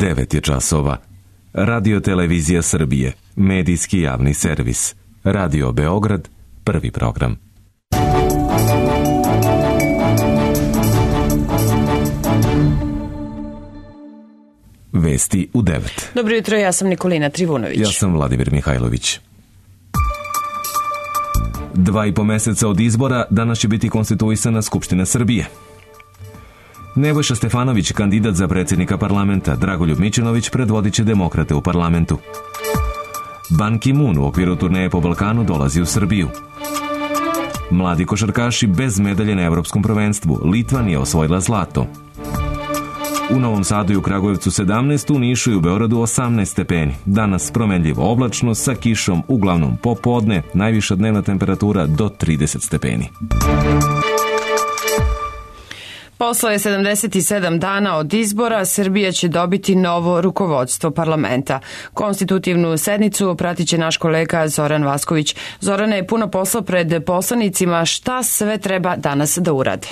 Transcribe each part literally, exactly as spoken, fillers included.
devet je časova. Radio Televizija Srbije, medijski javni servis. Radio Beograd, prvi program. Vesti u devet. Dobro jutro, ja sam Nikolina Trivunović. Ja sam Vladimir Mihajlović. Dva i po meseca od izbora danas će biti konstituisana Skupština Srbije. Nebojša Stefanović, kandidat za predsjednika parlamenta, Dragoljub Mićunović predvodit će demokrate u parlamentu. Ban Ki-moon u okviru turneje po Balkanu dolazi u Srbiju. Mladi košarkaši bez medalje na evropskom prvenstvu. Litva nije osvojila zlato. U Novom Sadu i u Kragujevcu sedamnaest, u Nišu i u Beogradu osamnaest stepeni. Danas promenljivo oblačno sa kišom, uglavnom popodne, najviša dnevna temperatura do trideset stepeni. Posle sedamdeset sedam dana od izbora, Srbija će dobiti novo rukovodstvo parlamenta. Konstitutivnu sednicu pratit će naš kolega Zoran Vasković. Zorane, je puno posla pred poslanicima. Šta sve treba danas da urade?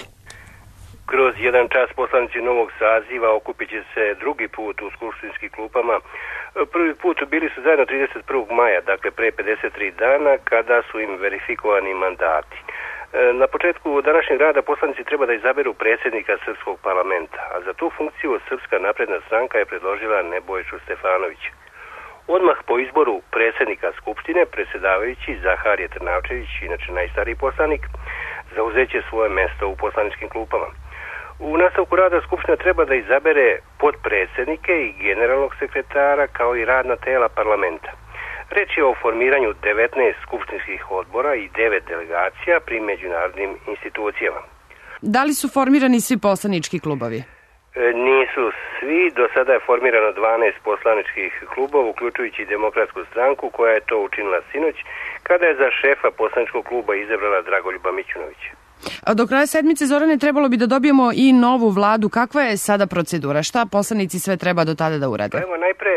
Kroz jedan čas poslanici novog saziva okupit će se drugi put u skupštinskim klupama. Prvi put bili su zajedno trideset prvog maja, dakle pre pedeset tri dana, kada su im verifikovani mandati. Na početku današnjeg rada poslanici treba da izaberu predsjednika Srpskog parlamenta, a za tu funkciju Srpska napredna stranka je predložila Nebojšu Stefanovića. Odmah po izboru predsjednika Skupštine, predsjedavajući Zaharije Trnavčević, inače najstariji poslanik, zauzeće svoje mesto u poslaničkim klupama. U nastavku rada Skupština treba da izabere podpredsjednike i generalnog sekretara kao i radna tela parlamenta. Reč je o formiranju devetnaest skupštinskih odbora i devet delegacija pri međunarodnim institucijama. Da li su formirani svi poslanički klubovi? E, nisu svi. Do sada je formirano dvanaest poslaničkih klubova, uključujući Demokratsku stranku, koja je to učinila sinoć, kada je za šefa poslaničkog kluba izabrala Dragoljuba Mićunovića. A do kraja sedmice, Zorane, trebalo bi da dobijemo i novu vladu. Kakva je sada procedura? Šta poslanici sve treba do tada da urade? Evo, najpre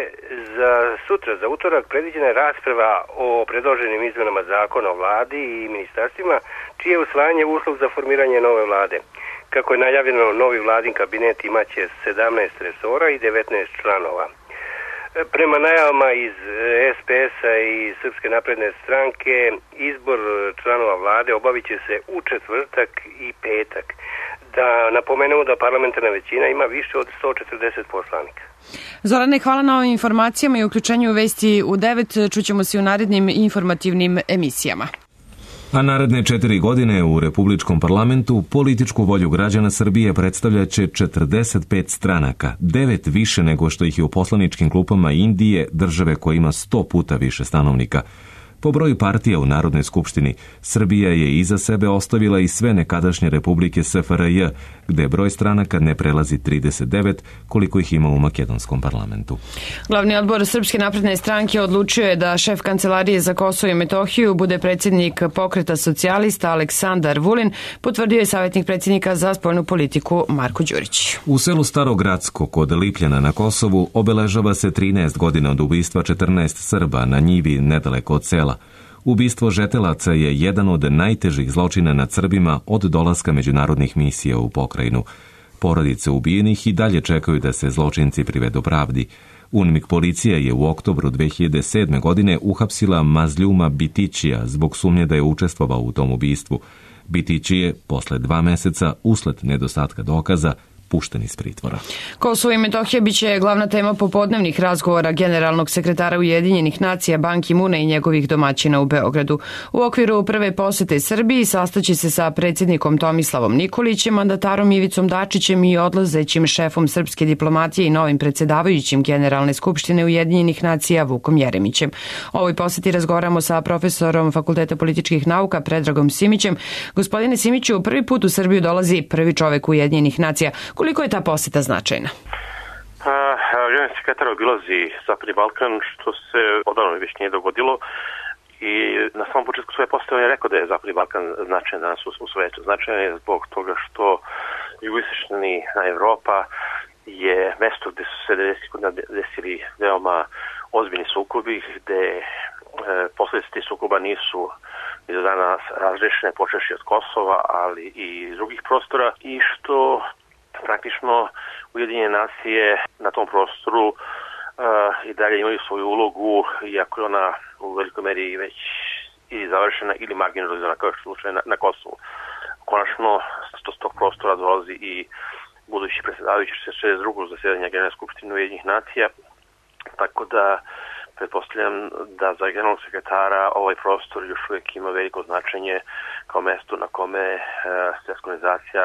za sutra, za utorak, predviđena je rasprava o predloženim izmenama zakona o vladi i ministarstvima, čije je usvajanje uslov za formiranje nove vlade. Kako je najavljeno, novi vladin kabinet imaće sedamnaest resora i devetnaest članova. Prema najavama iz es pe es-a i Srpske napredne stranke, izbor članova vlade obavit će se u četvrtak i petak. Da napomenemo da parlamentarna većina ima više od sto četrdeset poslanika. Zorane, hvala na ovim informacijama i uključenju Vesti u devet. Čućemo se u narednim informativnim emisijama. A naredne četiri godine u Republičkom parlamentu političku volju građana Srbije predstavljaće četrdeset pet stranaka, devet više nego što ih je u poslaničkim klupama Indije, države koja ima sto puta više stanovnika. Po broju partija u Narodnoj skupštini, Srbija je iza sebe ostavila i sve nekadašnje republike es ef er je, gde broj stranaka ne prelazi trideset devet, koliko ih ima u makedonskom parlamentu. Glavni odbor Srpske napredne stranke odlučio je da šef Kancelarije za Kosovo i Metohiju bude predsjednik Pokreta socijalista Aleksandar Vulin, potvrdio je savjetnik predsjednika za spoljnu politiku Marko Đurić. U selu Starogradsko kod Lipljana na Kosovu obeležava se trinaest godina od ubistva četrnaest Srba na njivi nedaleko od sela. Ubistvo žetelaca je jedan od najtežih zločina nad Srbima od dolaska međunarodnih misija u pokrajinu. Porodice ubijenih i dalje čekaju da se zločinci privedu pravdi. UNMIK policija je u oktobru dve hiljade sedme. godine uhapsila Mazljuma Bitićija zbog sumnje da je učestvovao u tom ubistvu. Bitići je, posle dva meseca, usled nedostatka dokaza, pušten iz pritvora. Kosovo i Metohija biće glavna tema popodnevnih razgovora generalnog sekretara Ujedinjenih nacija Ban Ki-moona i njegovih domaćina u Beogradu. U okviru prve posete Srbiji sastaće se sa predsjednikom Tomislavom Nikolićem, mandatarom Ivicom Dačićem i odlazećim šefom srpske diplomatije i novim predsjedavajućim Generalne skupštine Ujedinjenih nacija Vukom Jeremićem. O ovoj poseti razgovaramo sa profesorom Fakulteta političkih nauka Predragom Simićem. Gospodine Simiću, prvi put u Srbiju dolazi prvi čovek Ujedinjenih nacija. Koliko je ta poseta značajna? Generalni sekretar obilazi Zapadni Balkan, što se odavno već nije dogodilo, i na samom početku svoje posete on je rekao da je Zapadni Balkan značajan danas u svetu. Značajan je zbog toga što jugoistočna Evropa je mesto gde su se devedesetih godina desili veoma ozbiljni sukobi, gde e, posljedice tih sukoba nisu i do danas razrešene, počevši od Kosova, ali i drugih prostora, i što praktično Ujedinjene nacije na tom prostoru uh, i dalje imaju svoju ulogu, iako je ona u velikoj meri već ili završena ili marginalizovana, kao što je slučaj na, na Kosovu. Konačno, s tog prostora dolazi i budući predsjedavajući šezdeset drugog zasjedanja Generalne skupštine Ujedinjenih nacija, tako da pretpostavljam da za generalnog sekretara ovaj prostor još uvijek ima veliko značenje kao mesto na kome e, svjetska organizacija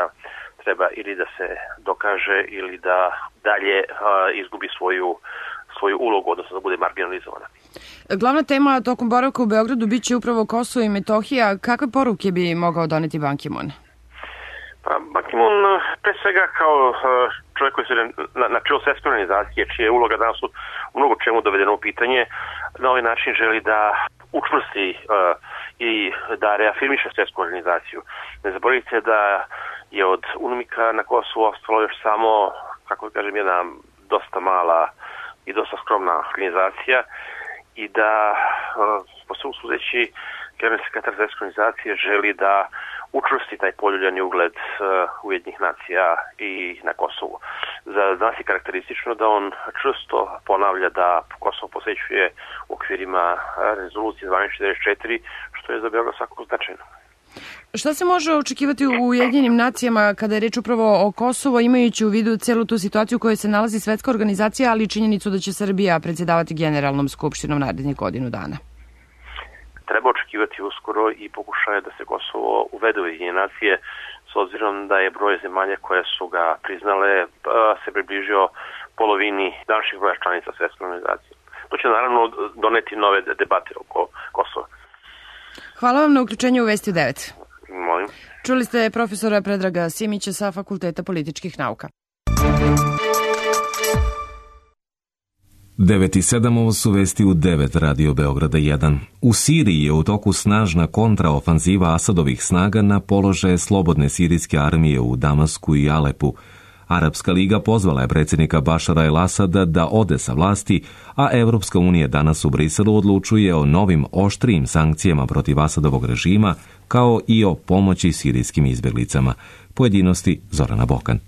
treba ili da se dokaže ili da dalje e, izgubi svoju, svoju ulogu, odnosno da bude marginalizovana. Glavna tema tokom boravka u Beogradu bit će upravo Kosovo i Metohija. Kakve poruke bi mogao doneti Ban Ki-moon? Pa, Ban Ki-moon pre svega kao čovjek koji se na, na čelo svjetske organizacije, čija je uloga danas u mnogo čemu dovedeno u pitanje, na ovaj način želi da učvrsti uh, i da reafirmiše svjetsku organizaciju. Ne zaboravite da je od UNMIK-a na Kosovu ostalo još samo, kako da kažem, jedna dosta mala i dosta skromna organizacija i da uh, po svom sudeći generalni sekretar svjetske organizacije želi da učvrsti taj poljuljani ugled uh, Ujedinjenih nacija i na Kosovu. Za nas je karakteristično da on često ponavlja da Kosovo posvećuje u okvirima rezolucije dvanaest četrdeset četiri, što je za Beograd svakako značajno. Šta se može očekivati u Ujedinjenim nacijama kada je reč upravo o Kosovo, imajući u vidu celu tu situaciju u kojoj se nalazi svetska organizacija, ali i činjenicu da će Srbija predsjedavati Generalnom skupštinom narednih godinu dana? Treba očekivati uskoro i pokušaje da se Kosovo uvede u Ujedinjene nacije, s obzirom da je broj zemalja koje su ga priznale se približio polovini današnjih broja članica svjetske organizacije. To će naravno doneti nove debate oko Kosova. Hvala vam na uključenju u Vesti u devet. Molim. Čuli ste profesora Predraga Simića sa Fakulteta političkih nauka. devet i sedam, ovo su vesti u devet Radio Beograda jedan. U Siriji je u toku snažna kontraofanziva Asadovih snaga na položaje slobodne sirijske armije u Damasku i Alepu. Arapska liga pozvala je predsjednika Bašara el-Asada da ode sa vlasti, a Evropska unija danas u Briselu odlučuje o novim oštrijim sankcijama protiv Asadovog režima, kao i o pomoći sirijskim izbjeglicama. Pojedinosti Zorana Bokan.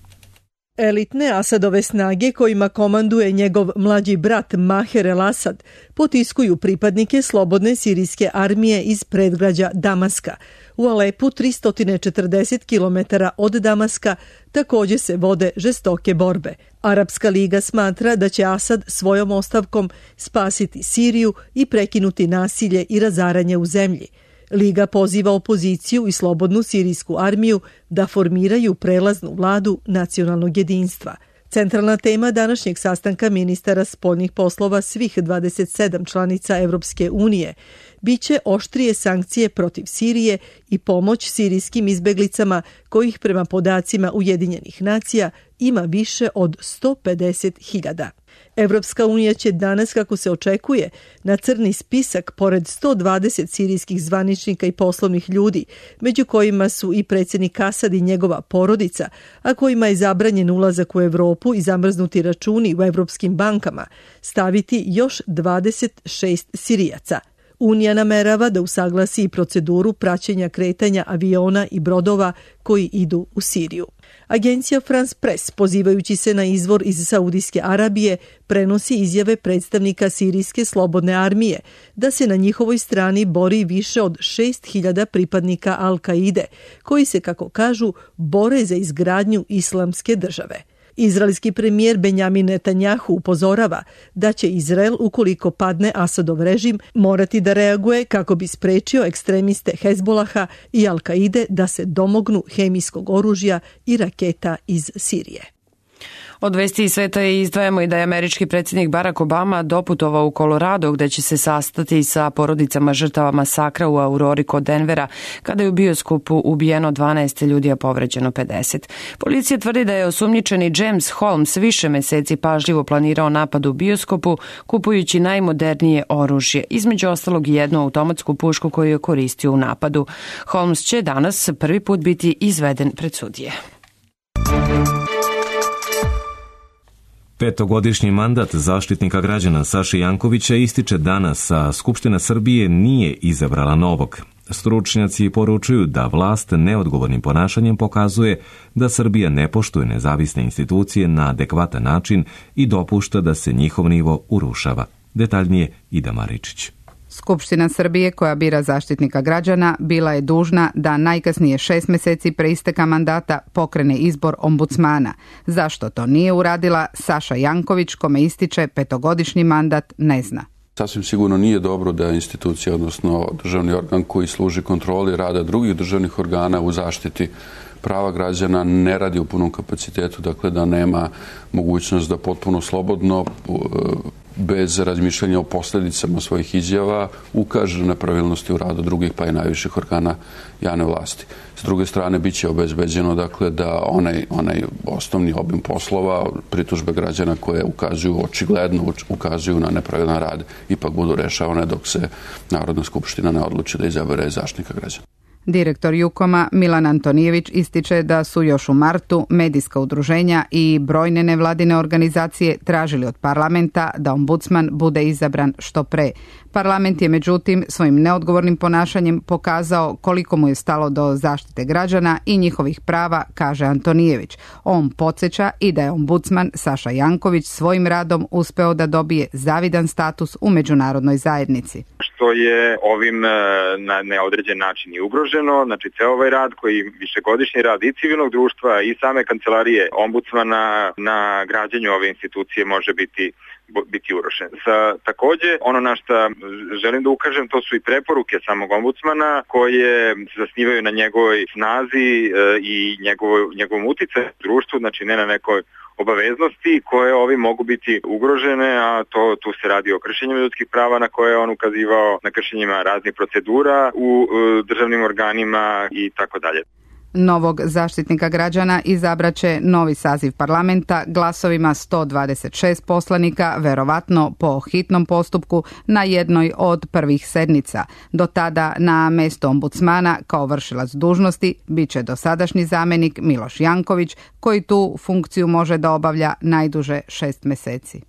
Elitne Asadove snage kojima komanduje njegov mlađi brat Maher el-Asad potiskuju pripadnike slobodne sirijske armije iz predgrađa Damaska. U Alepu, tristo četrdeset kilometara od Damaska, također se vode žestoke borbe. Arapska liga smatra da će Asad svojom ostavkom spasiti Siriju i prekinuti nasilje i razaranje u zemlji. Liga poziva opoziciju i slobodnu sirijsku armiju da formiraju prelaznu vladu nacionalnog jedinstva. Centralna tema današnjeg sastanka ministara spoljnih poslova svih dvadeset sedam članica Evropske unije biće oštrije sankcije protiv Sirije i pomoć sirijskim izbeglicama kojih prema podacima Ujedinjenih nacija ima više od sto pedeset hiljada. Evropska unija će danas, kako se očekuje, na crni spisak pored sto dvadeset sirijskih zvaničnika i poslovnih ljudi, među kojima su i predsjednik Asad i njegova porodica, a kojima je zabranjen ulazak u Evropu i zamrznuti računi u evropskim bankama, staviti još dvadeset šest Sirijaca. Unija namerava da usaglasi i proceduru praćenja kretanja aviona i brodova koji idu u Siriju. Agencija France Press, pozivajući se na izvor iz Saudijske Arabije, prenosi izjave predstavnika Sirijske slobodne armije da se na njihovoj strani bori više od šest hiljada pripadnika Al-Kaide, koji se, kako kažu, bore za izgradnju islamske države. Izraelski premijer Benjamin Netanjahu upozorava da će Izrael, ukoliko padne Asadov režim, morati da reaguje kako bi sprečio ekstremiste Hezbolaha i Al-Kaide da se domognu hemijskog oružja i raketa iz Sirije. Od vesti iz sveta izdvajamo i da je američki predsjednik Barack Obama doputovao u Colorado, gde će se sastati sa porodicama žrtava masakra u Aurori kod Denvera, kada je u bioskopu ubijeno dvanaest ljudi, a povređeno pedeset. Policija tvrdi da je osumnjičeni James Holmes više meseci pažljivo planirao napad u bioskopu, kupujući najmodernije oružje, između ostalog i jednu automatsku pušku koju je koristio u napadu. Holmes će danas prvi put biti izveden pred sudije. Petogodišnji mandat zaštitnika građana Saše Jankovića ističe danas, a Skupština Srbije nije izabrala novog. Stručnjaci poručuju da vlast neodgovornim ponašanjem pokazuje da Srbija ne poštuje nezavisne institucije na adekvatan način i dopušta da se njihov nivo urušava. Detaljnije Ida Maričić. Skupština Srbije koja bira zaštitnika građana bila je dužna da najkasnije šest meseci pre isteka mandata pokrene izbor ombudsmana. Zašto to nije uradila, Saša Janković, kome ističe petogodišnji mandat, ne zna. Sasvim sigurno nije dobro da institucija, odnosno državni organ koji služi kontroli rada drugih državnih organa u zaštiti prava građana ne radi u punom kapacitetu, dakle da nema mogućnost da potpuno slobodno, bez razmišljanja o posljedicama svojih izjava, ukaže na pravilnosti u radu drugih pa i najviših organa javne vlasti. S druge strane, bit će obezbeđeno dakle, da onaj, onaj osnovni obim poslova, pritužbe građana koje ukazuju, očigledno ukazuju na nepravilan rad, ipak budu rešavane dok se Narodna skupština ne odluči da izabere zaštitnika građana. Direktor Jukoma Milan Antonijević ističe da su još u martu medijska udruženja i brojne nevladine organizacije tražili od parlamenta da ombudsman bude izabran što pre. Parlament je međutim svojim neodgovornim ponašanjem pokazao koliko mu je stalo do zaštite građana i njihovih prava, kaže Antonijević. On podsjeća i da je ombudsman Saša Janković svojim radom uspeo da dobije zavidan status u međunarodnoj zajednici. Što je ovim na neodređen način i ugroženo, znači ceo ovaj rad koji višegodišnji rad i civilnog društva i same kancelarije ombudsmana na građenju ove institucije može biti biti urušen. Sa, takođe, ono na što želim da ukažem, to su i preporuke samog ombudsmana koje se zasnivaju na njegovoj snazi e, i njegovo, njegovom uticaju u društvu, znači ne na nekoj obaveznosti koje ovi mogu biti ugrožene, a to tu se radi o kršenjima ljudskih prava na koje je on ukazivao, na kršenjima raznih procedura u e, državnim organima i tako dalje. Novog zaštitnika građana izabraće novi saziv parlamenta glasovima sto dvadeset šest poslanika, verovatno po hitnom postupku na jednoj od prvih sednica. Do tada na mesto ombudsmana kao vršilac dužnosti biće dosadašnji zamenik Miloš Janković, koji tu funkciju može da obavlja najduže šest meseci.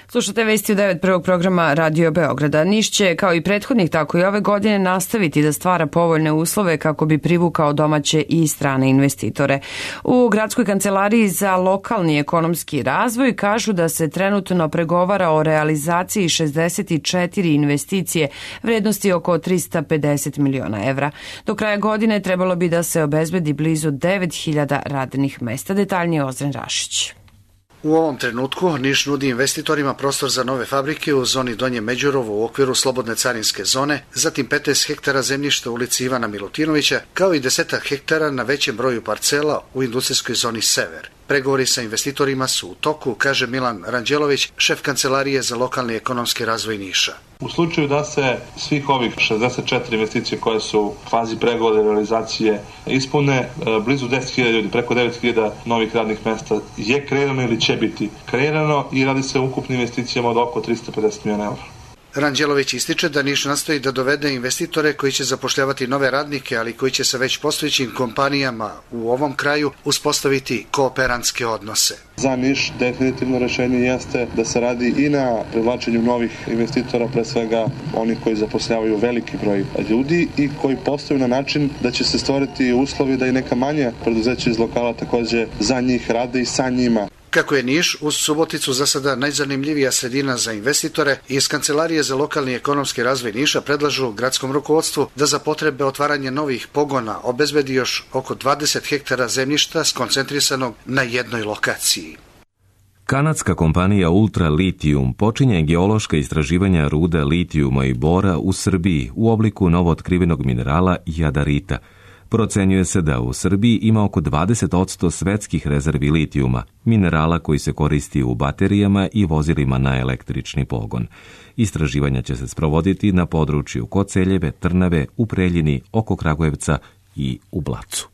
Slušate vesti u devet prvog programa Radio Beograda. Niš će, kao i prethodnih, tako i ove godine nastaviti da stvara povoljne uslove kako bi privukao domaće i strane investitore. U Gradskoj kancelariji za lokalni ekonomski razvoj kažu da se trenutno pregovara o realizaciji šezdeset četiri investicije vrednosti oko tristo pedeset miliona evra. Do kraja godine trebalo bi da se obezbedi blizu devet hiljada radnih mesta. Detaljnije Ozren Rašić. U ovom trenutku Niš nudi investitorima prostor za nove fabrike u zoni Donje Međurovo u okviru slobodne carinske zone, zatim petnaest hektara zemljišta u ulici Ivana Milutinovića, kao i deset hektara na većem broju parcela u industrijskoj zoni Sever. Pregovori sa investitorima su u toku, kaže Milan Ranđelović, šef kancelarije za lokalni ekonomski razvoj Niša. U slučaju da se svih ovih šezdeset četiri investicije koje su u fazi pregovora i realizacije ispune, blizu deset hiljada ljudi, preko devet hiljada novih radnih mesta je kreirano ili će biti kreirano i radi se o ukupnim investicijama od oko tristo pedeset miliona evra. Ranđelović ističe da Niš nastoji da dovede investitore koji će zapošljavati nove radnike, ali koji će sa već postojećim kompanijama u ovom kraju uspostaviti kooperantske odnose. Za Niš definitivno rešenje jeste da se radi i na privlačenju novih investitora, pre svega onih koji zapošljavaju veliki broj ljudi i koji postaju na način da će se stvoriti uslovi da i neka manja preduzeća iz lokala takođe za njih rade i sa njima. Kako je Niš uz Suboticu za sada najzanimljivija sredina za investitore, iz Kancelarije za lokalni ekonomski razvoj Niša predlažu gradskom rukovodstvu da za potrebe otvaranja novih pogona obezbedi još oko dvadeset hektara zemljišta skoncentrisanog na jednoj lokaciji. Kanadska kompanija Ultra Lithium počinje geološka istraživanja ruda litijuma i bora u Srbiji u obliku novootkrivenog minerala jadarita. Procenjuje se da u Srbiji ima oko dvadeset posto svetskih rezervi litijuma, minerala koji se koristi u baterijama i vozilima na električni pogon. Istraživanja će se sprovoditi na području Koceljeve, Trnave, u Preljini, oko Kragujevca i u Blacu.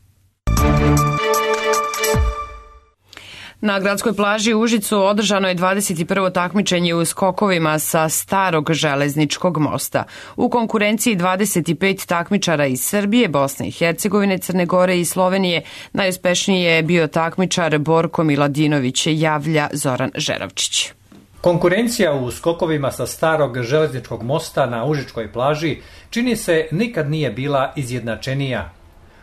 Na gradskoj plaži u Užicu održano je dvadeset prvo takmičenje u skokovima sa starog železničkog mosta. U konkurenciji dvadeset pet takmičara iz Srbije, Bosne i Hercegovine, Crne Gore i Slovenije. Najuspešniji je bio takmičar Borko Miladinović, javlja Zoran Žeravčić. Konkurencija u skokovima sa starog železničkog mosta na Užičkoj plaži čini se nikad nije bila izjednačenija.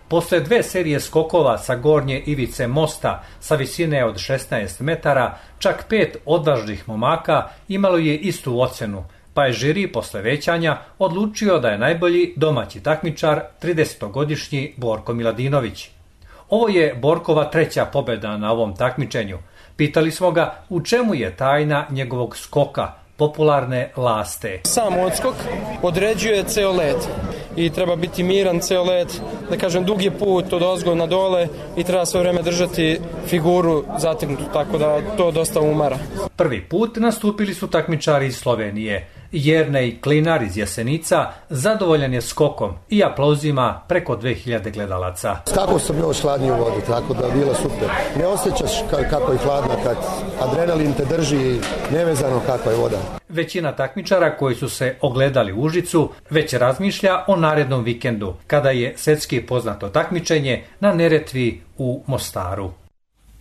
Posle dve serije skokova sa gornje ivice mosta sa visine od šesnaest metara, čak pet odvažnih momaka imalo je istu ocenu, pa je žiri posle većanja odlučio da je najbolji domaći takmičar tridesetogodišnji Borko Miladinović. Ovo je Borkova treća pobeda na ovom takmičenju. Pitali smo ga u čemu je tajna njegovog skoka, popularne laste. Sam odskok određuje ceo let i treba biti miran ceo let, da kažem dug je put od ozgo na dole i treba sve vreme držati figuru zategnutu, tako da to dosta umara. Prvi put nastupili su takmičari iz Slovenije. Jernej Klinar iz Jasenica zadovoljan je skokom i aplauzima preko dve hiljade gledalaca. Skakao sam još hladnije u vodu, tako da je bilo super. Ne osjećaš kako je hladna kad adrenalin te drži nevezano kakva je voda. Većina takmičara koji su se ogledali u Užicu već razmišlja o narednom vikendu, kada je svetski poznato takmičenje na Neretvi u Mostaru.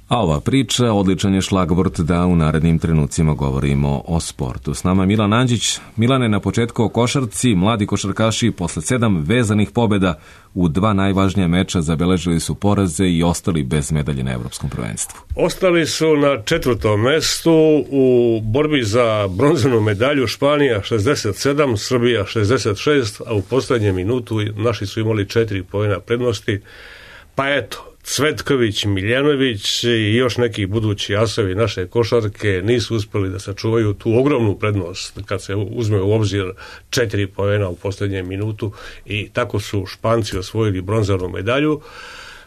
A ova priča odličan je šlagvort da u narednim trenucima govorimo o sportu. S nama Milan Andžić. Milane, na početku o košarci, mladi košarkaši posle sedam vezanih pobjeda u dva najvažnija meča zabeležili su poraze i ostali bez medalje na Evropskom prvenstvu. Ostali su na četvrtom mestu u borbi za bronzanu medalju. Španija šezdeset sedam, Srbija šezdeset šest, a u poslednjem minutu naši su imali četiri poena prednosti. Pa eto, Cvetković, Miljanović i još neki budući asovi naše košarke nisu uspjeli da sačuvaju tu ogromnu prednost kad se uzme u obzir četiri poena u posljednjem minutu i tako su Španci osvojili bronzanu medalju.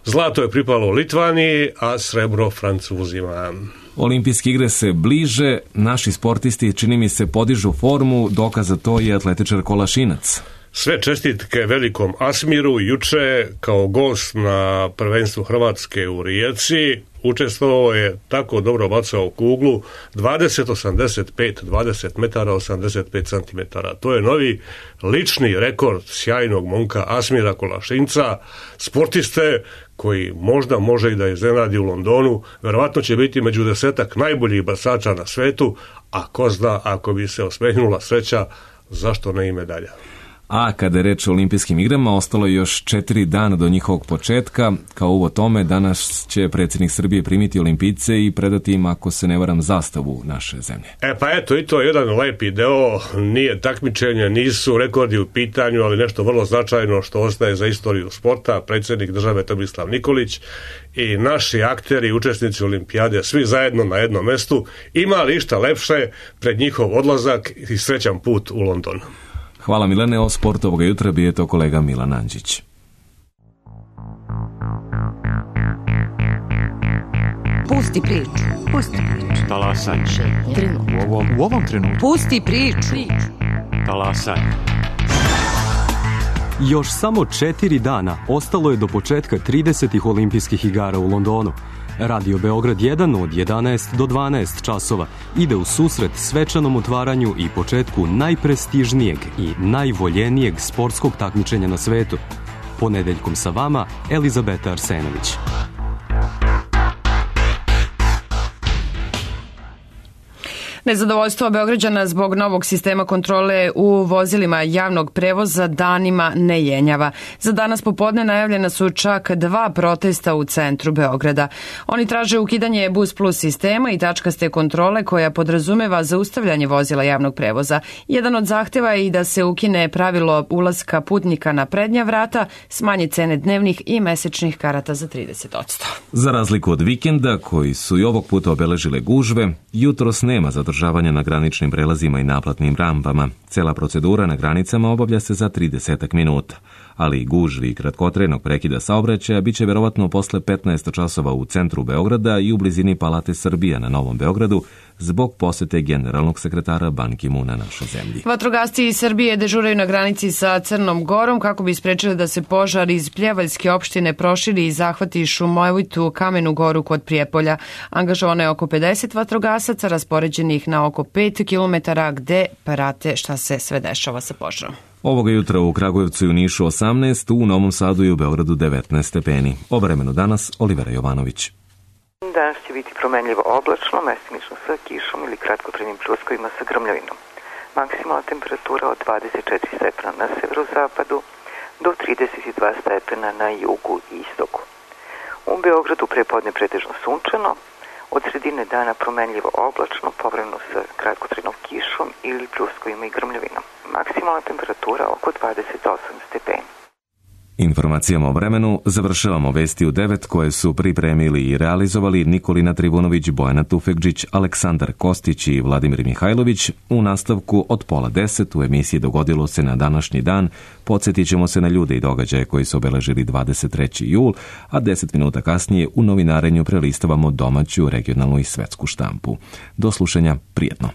Zlato je pripalo Litvaniji, a srebro Francuzima. Olimpijske igre se bliže, naši sportisti čini mi se podižu formu, dokaz za to je atletičar Kolašinac. Sve čestitke velikom Asmiru juče kao gost na prvenstvu Hrvatske u Rijeci. Učestvovao je, tako dobro bacao kuglu, dvadeset osamdeset pet, dvadeset metara, osamdeset pet centimetara. To je novi lični rekord sjajnog momka Asmira Kolašinca, sportiste koji možda može i da iznenadi u Londonu. Verovatno će biti među desetak najboljih bacača na svetu, a ko zna, ako bi se osmehnula sreća, zašto ne i medalja. A kada je reč o olimpijskim igrama, ostalo je još četiri dana do njihovog početka. Kao uvod tome, danas će predsjednik Srbije primiti olimpijce i predati im, ako se ne varam, zastavu naše zemlje. E pa eto, i to je jedan lepi deo, nije takmičenje, nisu rekordi u pitanju, ali nešto vrlo značajno što ostaje za istoriju sporta, predsjednik države Tomislav Nikolić i naši akteri, učesnici olimpijade, svi zajedno na jednom mestu. Ima li išta lepše pred njihov odlazak i srećan put u London? Hvala Milane, o sportu ovoga jutra bio je to kolega Milan Andžić. Pusti priču. Pusti priču. Talasaj. Trenutku. U ovom, u ovom trenutku. Pusti priču. Talasaj. Još samo četiri dana ostalo je do početka tridesetih olimpijskih igara u Londonu. Radio Beograd jedan od jedanaest do dvanaest časova ide u susret svečanom otvaranju i početku najprestižnijeg i najvoljenijeg sportskog takmičenja na svetu. Ponedeljkom sa vama Elizabeta Arsenović. Nezadovoljstvo Beograđana zbog novog sistema kontrole u vozilima javnog prevoza danima ne jenjava. Za danas popodne najavljena su čak dva protesta u centru Beograda. Oni traže ukidanje Bus Plus sistema i tačkaste kontrole koja podrazumeva zaustavljanje vozila javnog prevoza. Jedan od zahteva je i da se ukine pravilo ulaska putnika na prednja vrata, smanje cene dnevnih i mesečnih karata za trideset posto. Za razliku od vikenda, koji su i ovog puta obeležile gužve, jutros nema zadržavanja na graničnim prelazima i naplatnim rampama. Cela procedura na granicama obavlja se za trideset minuta, ali gužvi i kratkotrenog prekida saobraćaja biće verovatno posle petnaest časova u centru Beograda i u blizini Palate Srbija na Novom Beogradu zbog posete generalnog sekretara Ban Ki-muna našoj zemlji. Vatrogasci iz Srbije dežuraju na granici sa Crnom Gorom kako bi sprečili da se požar iz Pljevaljske opštine proširi i zahvati šumovitu Kamenu Goru kod Prijepolja. Angažovano je oko pedeset vatrogasaca raspoređenih na oko pet kilometara gde prate šta se sve dešava sa požarom. Ovoga jutra u Kragujevcu i u Nišu osamnaest, u Novom Sadu i u Beogradu devetnaest stepeni. O vremenu danas Olivera Jovanović. Danas će biti promenljivo oblačno, mestimično sa kišom ili kratkotrajnim pljuskovima sa grmljavinom. Maksimalna temperatura od dvadeset četiri stepena na severozapadu do trideset dva stepena na jugu i istoku. U Beogradu prepodne pretežno sunčano, od sredine dana promenljivo oblačno, povremeno sa kratkotrajnom kišom ili pljuskovima i grmljavinom. Maksimalna temperatura oko dvadeset osam stepeni. Informacijama o vremenu završavamo vesti u devet koje su pripremili i realizovali Nikolina Trivunović, Bojana Tufekđić, Aleksandar Kostić i Vladimir Mihajlović. U nastavku od pola deset u emisiji Dogodilo se na današnji dan podsjetit ćemo se na ljude i događaje koji su obeležili dvadeset treći jul, a deset minuta kasnije u novinarenju prelistavamo domaću, regionalnu i svetsku štampu. Do slušanja, prijetno.